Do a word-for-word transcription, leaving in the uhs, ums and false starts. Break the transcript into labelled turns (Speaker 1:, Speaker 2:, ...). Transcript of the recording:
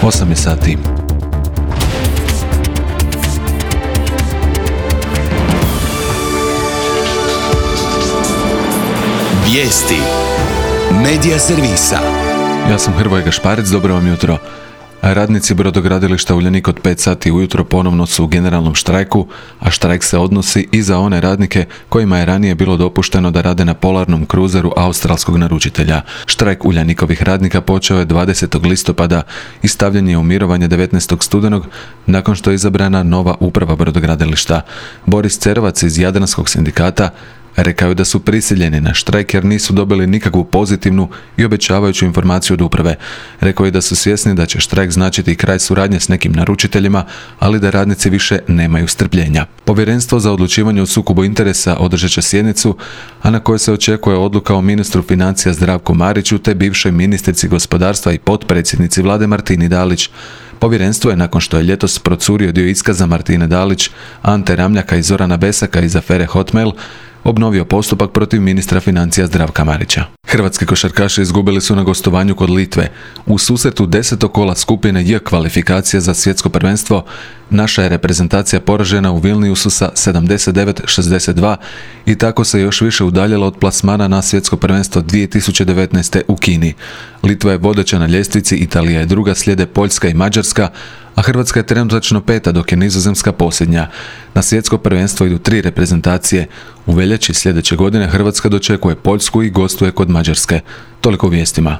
Speaker 1: osam je sati.
Speaker 2: Vijesti Medija servisa.
Speaker 1: Ja sam Hrvoje Gašparec, dobro vam jutro. Radnici brodogradilišta Uljanik od pet sati ujutro ponovno su u generalnom štrajku, a štrajk se odnosi i za one radnike kojima je ranije bilo dopušteno da rade na polarnom kruzeru australskog naručitelja. Štrajk Uljanikovih radnika počeo je dvadesetog listopada i stavljen je u mirovanje devetnaestog studenog nakon što je izabrana nova uprava brodogradilišta. Boris Cerovac iz Jadranskog sindikata rekao je da su prisiljeni na štrajk jer nisu dobili nikakvu pozitivnu i obećavajuću informaciju od uprave. Rekao je da su svjesni da će štrajk značiti kraj suradnje s nekim naručiteljima, ali da radnici više nemaju strpljenja. Povjerenstvo za odlučivanje o sukobu interesa održat će sjednicu, a na kojoj se očekuje odluka o ministru financija Zdravku Mariću te bivšoj ministrici gospodarstva i potpredsjednici vlade Martini Dalić. Povjerenstvo je, nakon što je ljetos procurio dio iskaza Martine Dalić, Ante Ramljaka i Zorana Besaka iz afere Hotmail, obnovio postupak protiv ministra financija Zdravka Marića. Hrvatski košarkaši izgubili su na gostovanju kod Litve. U susretu desetog kola skupine J kvalifikacije za svjetsko prvenstvo naša je reprezentacija poražena u Vilniusu sa sedamdeset devet šezdeset dva i tako se još više udaljila od plasmana na svjetsko prvenstvo dvije tisuće devetnaeste. u Kini. Litva je vodeća na ljestvici, Italija je druga, slijede Poljska i Mađarska, a Hrvatska je trenutačno peta, dok je Nizozemska posljednja. Na svjetsko prvenstvo idu tri reprezentacije. U veljači sljedeće godine Hrvatska dočekuje Poljsku i gostuje kod Mađarske. Toliko u vijestima.